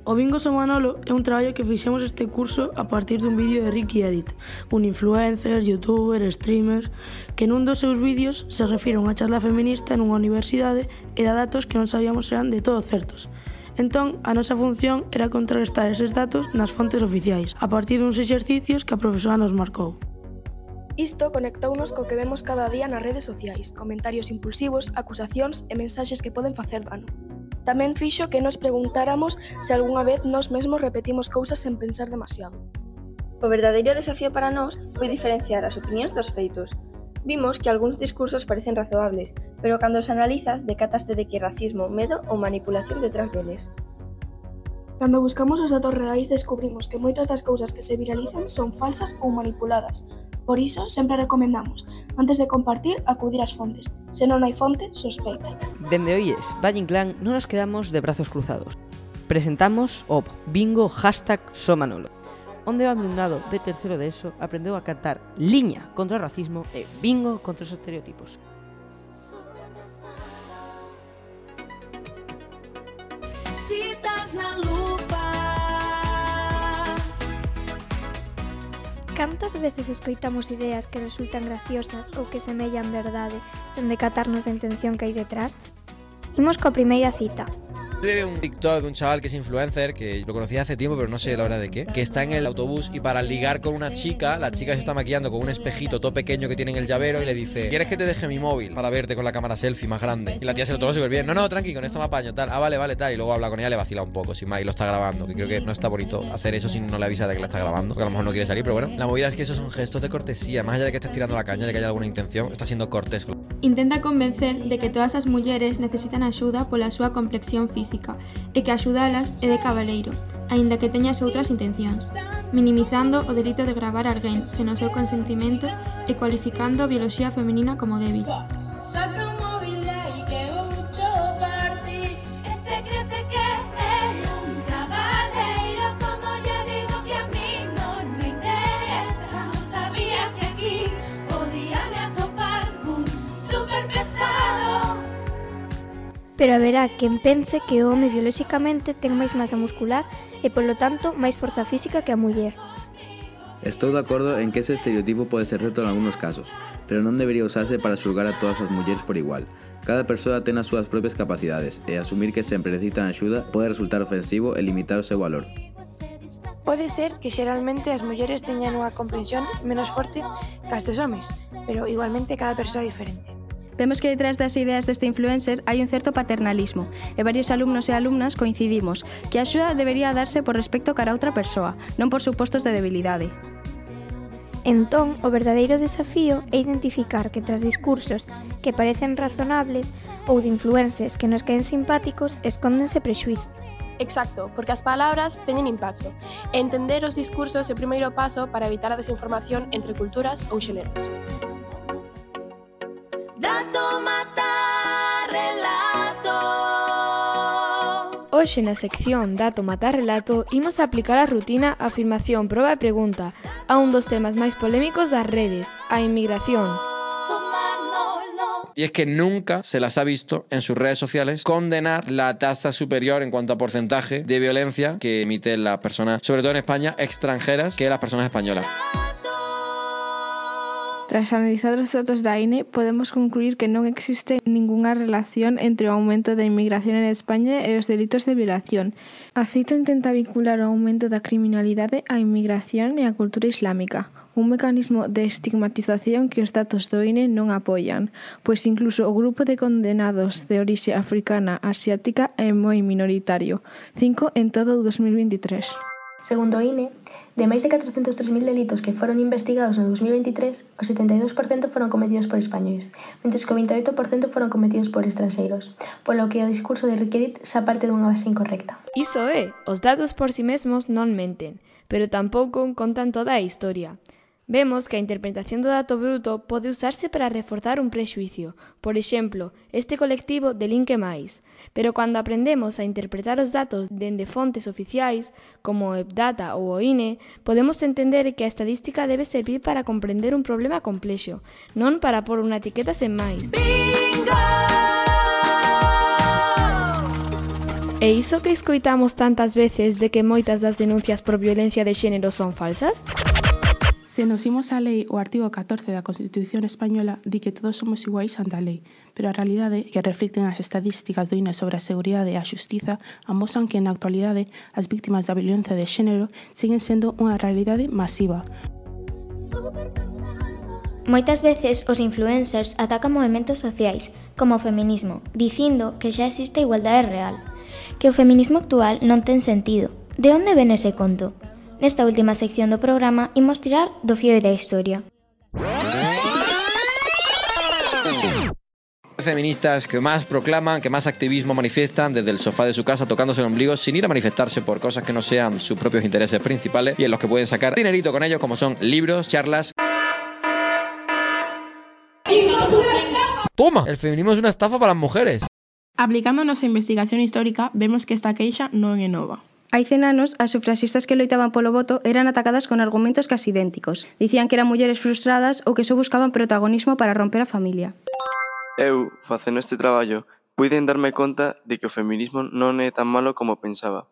O Bingo Son Manolo é un traballo que fixemos este curso a partir dun vídeo de Ricky Edit, un influencer, youtuber, streamer, que nun dos seus vídeos se refire a unha charla feminista nunha universidade e dá datos que non sabíamos eran de todo certos. Entón, a nosa función era contrastar eses datos nas fontes oficiais, a partir duns exercicios que a profesora nos marcou. Isto conectounos co que vemos cada día nas redes sociais, comentarios impulsivos, acusacións e mensaxes que poden facer dano. Tamén fixo que nos preguntáramos se algunha vez nós mesmos repetimos cousas sen pensar demasiado. O verdadeiro desafío para nós foi diferenciar as opinións dos feitos. Vimos que algúns discursos parecen razoables, pero cando os analizas decataste de que hai racismo, medo ou manipulación detrás deles. Cando buscamos os datos reais descubrimos que moitas das cousas que se viralizan son falsas ou manipuladas. Por iso, sempre recomendamos, antes de compartir, acudir ás fontes. Se non hai fonte, sospeita. Dende Oíes, Valle Inclán, non nos quedamos de brazos cruzados. Presentamos o Bingo #Somanolo, onde o alumnado de terceiro de ESO aprendeu a cantar liña contra o racismo e bingo contra os estereotipos. Citas na lupa. Cantas veces escoitamos ideas que resultan graciosas ou que semellan verdade sen decatarnos da intención que hai detrás? Imos coa primeira cita. De un TikTok de un chaval que es influencer, que lo conocí hace tiempo pero no sé la hora de qué, que está en el autobús y para ligar con una chica, la chica se está maquillando con un espejito todo pequeño que tiene en el llavero y le dice: ¿quieres que te deje mi móvil para verte con la cámara selfie más grande? Y la tía se lo toma súper bien: no, tranqui, con esto me apaño, tal, vale, tal, y luego habla con ella, le vacila un poco, sin más, y lo está grabando, que creo que no está bonito hacer eso si no le avisa de que la está grabando, que a lo mejor no quiere salir, pero bueno, la movida es que esos son gestos de cortesía, más allá de que estés tirando la caña, de que haya alguna intención, está siendo cortés. Intenta convencer de que todas as mulleres necesitan axuda pola súa complexión física e que axudalas é de cabaleiro, aínda que teñas outras intencións, minimizando o delito de gravar alguén sen o seu consentimento e cualificando a bioloxía femenina como débil. Pero haberá quen pense que o home biolóxicamente ten máis masa muscular e, polo tanto, máis forza física que a muller. Estou de acordo en que ese estereotipo pode ser certo en algunos casos, pero non debería usarse para xulgar a todas as mulleres por igual. Cada persoa ten as súas propias capacidades e asumir que sempre necesitan axuda pode resultar ofensivo e limitar o seu valor. Pode ser que xeralmente as mulleres teñan unha comprensión menos forte que as dos homes, pero igualmente cada persoa é diferente. Vemos que detrás das ideas deste influencer hai un certo paternalismo e varios alumnos e alumnas coincidimos que a axuda debería darse por respecto cara a outra persoa, non por supostos de debilidade. Entón, o verdadeiro desafío é identificar que tras discursos que parecen razonables ou de influencers que nos caen simpáticos escóndense prexuízos. Exacto, porque as palabras teñen impacto. E entender os discursos é o primeiro paso para evitar a desinformación entre culturas ou xéneros. Dato matar relato. Hoxe na sección Dato matar relato imos aplicar a rutina afirmación, proba e pregunta a un dos temas máis polémicos das redes, a inmigración. Y es que nunca se las ha visto en sus redes sociales condenar la tasa superior en cuanto a porcentaje de violencia que emiten las personas, sobre todo en España, extranjeras, que las personas españolas. Tras analizar os datos da INE, podemos concluir que non existe ningunha relación entre o aumento da inmigración en España e os delitos de violación. A cita intenta vincular o aumento da criminalidade á inmigración e á cultura islámica, un mecanismo de estigmatización que os datos do INE non apoian, pois incluso o grupo de condenados de orixe africana asiática é moi minoritario, 5 en todo o 2023. Segundo o INE, de máis de 403.000 delitos que foron investigados no 2023, o 72% foron cometidos por españois, mentres que o 28% foron cometidos por estranxeiros, polo que o discurso de Riquedit xa parte dunha base incorrecta. Iso é, os datos por si mesmos non menten, pero tampouco contan toda a historia. Vemos que a interpretación do dato bruto pode usarse para reforzar un prexuicio, por exemplo, este colectivo delinque máis, pero cando aprendemos a interpretar os datos dende fontes oficiais, como o EPDATA ou o INE, podemos entender que a estadística debe servir para comprender un problema complexo, non para pôr unha etiqueta sen máis. Bingo! E iso que escoitamos tantas veces de que moitas das denuncias por violencia de xénero son falsas? Se nos imos á lei, o artigo 14 da Constitución Española di que todos somos iguais ante a lei, pero a realidade que reflicten as estatísticas do INE sobre a seguridade e a xustiza amosan que na actualidade as víctimas da violencia de xénero siguen sendo unha realidade masiva. Moitas veces os influencers atacan movementos sociais, como o feminismo, dicindo que xa existe a igualdade real, que o feminismo actual non ten sentido. De onde ven ese conto? Nesta última sección do programa imos tirar do fío da historia. Feministas que más proclaman, que más activismo manifiestan desde el sofá de su casa tocándose el ombligo sin ir a manifestarse por cosas que no sean sus propios intereses principales y en los que pueden sacar dinerito con ellos, como son libros, charlas. ¡Toma! El feminismo es una estafa para las mujeres. Aplicando a nosa investigación histórica, vemos que esta queixa non é nova. Hai 100 anos, as sufraxistas que loitaban polo voto eran atacadas con argumentos casi idénticos. Dicían que eran mulleres frustradas ou que só buscaban protagonismo para romper a familia. Eu, facendo este traballo, puiden darme conta de que o feminismo non é tan malo como pensaba,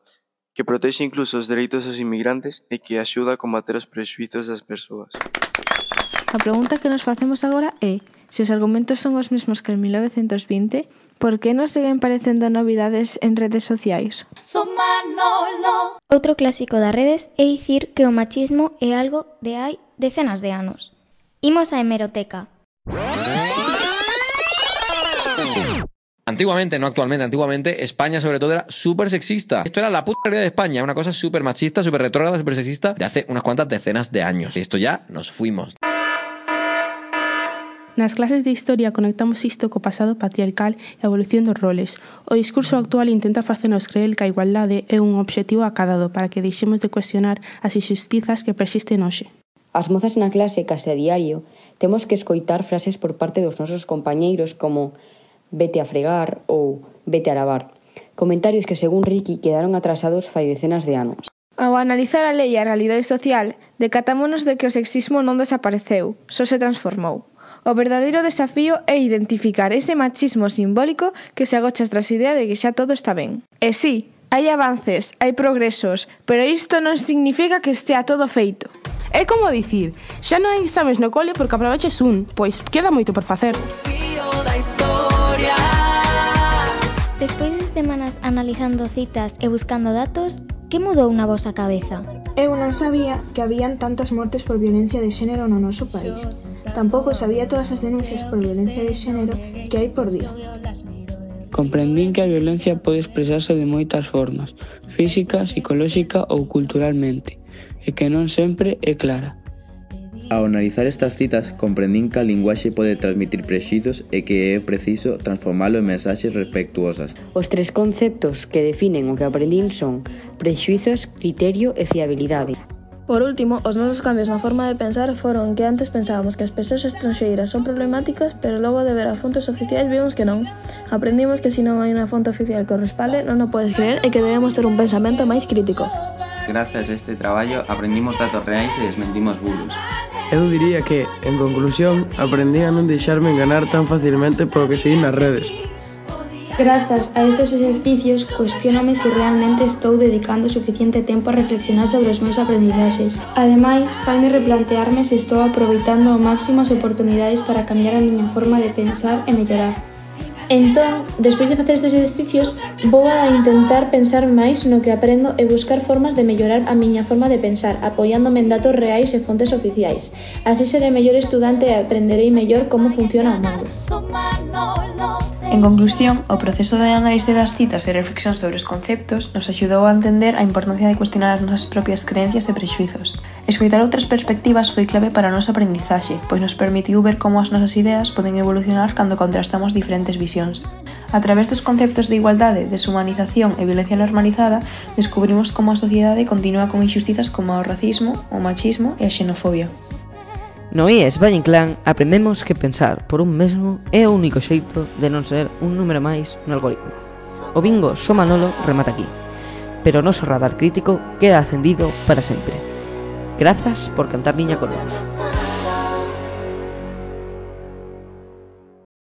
que protexe incluso os dereitos dos inmigrantes e que axuda a combater os prexuizos das persoas. A pregunta que nos facemos agora é: se os argumentos son os mesmos que en 1920, por que nos seguen parecendo novidades en redes sociais? Outro clásico das redes é dicir que o machismo é algo de hai decenas de anos. Imos á hemeroteca. Antiguamente, no actualmente, antiguamente España sobre todo era súper sexista. Esto era la puta realidad de España, una cosa súper machista, súper retrógrada, súper sexista de hace unas cuantas decenas de años. Y esto ya nos fuimos. Nas clases de historia conectamos isto co pasado patriarcal e a evolución dos roles. O discurso actual intenta facernos creer que a igualdade é un obxectivo acadado para que deixemos de cuestionar as injustizas que persisten hoxe. As mozas na clase case a diario temos que escoitar frases por parte dos nosos compañeiros como vete a fregar ou vete a lavar. Comentarios que, según Ricky, quedaron atrasados fai decenas de anos. Ao analizar a lei e a realidade social, decatámonos de que o sexismo non desapareceu, só se transformou. O verdadeiro desafío é identificar ese machismo simbólico que se agocha tras a idea de que xa todo está ben. E sí, hai avances, hai progresos, pero isto non significa que estea todo feito. É como dicir, xa non hai exames no cole porque aproveches un, pois queda moito por facer. Despois de semanas analizando citas e buscando datos, que mudou na vosa cabeza? Eu non sabía que habían tantas mortes por violencia de xénero no noso país. Tampouco sabía todas as denuncias por violencia de xénero que hai por día. Comprendín que a violencia pode expresarse de moitas formas, física, psicolóxica ou culturalmente, e que non sempre é clara. Ao analizar estas citas, comprendín que a linguaxe pode transmitir prexuizos e que é preciso transformalo en mensaxes respectuosas. Os tres conceptos que definen o que aprendín son prexuizos, criterio e fiabilidade. Por último, os nosos cambios na forma de pensar foron que antes pensábamos que as persoas estranxeiras son problemáticas, pero logo de ver as fontes oficiais vimos que non. Aprendimos que se non hai unha fonte oficial que o respalde, non o podes creer e que debemos ter un pensamento máis crítico. Grazas a este traballo aprendimos datos reais e desmentimos bulos. Eu diría que, en conclusión, aprendí a non deixarme enganar tan facilmente polo que seguí nas redes. Grazas a estes exercicios, cuestionome se realmente estou dedicando suficiente tempo a reflexionar sobre os meus aprendizaxes. Ademais, faime replantearme se estou aproveitando ao máximo as oportunidades para cambiar a miña forma de pensar e mellorar. Entón, despois de facer estes exercicios, vou a intentar pensar máis no que aprendo e buscar formas de mellorar a miña forma de pensar, apoiándome en datos reais e fontes oficiais. Así serei mellor estudante e aprenderei mellor como funciona o mundo. En conclusión, o proceso de análise das citas e reflexión sobre os conceptos nos axudou a entender a importancia de cuestionar as nosas propias creencias e prexuizos. Escoitar outras perspectivas foi clave para o noso aprendizaxe, pois nos permitiu ver como as nosas ideas poden evolucionar cando contrastamos diferentes visións. A través dos conceptos de igualdade, deshumanización e violencia normalizada, descubrimos como a sociedade continúa con injustizas como o racismo, o machismo e a xenofobia. No IES Valle Inclán aprendemos que pensar por un mesmo é o único xeito de non ser un número máis no algoritmo. O bingo Só Manolo remata aquí, pero o noso radar crítico queda acendido para sempre. Grazas por cantar niña con nós.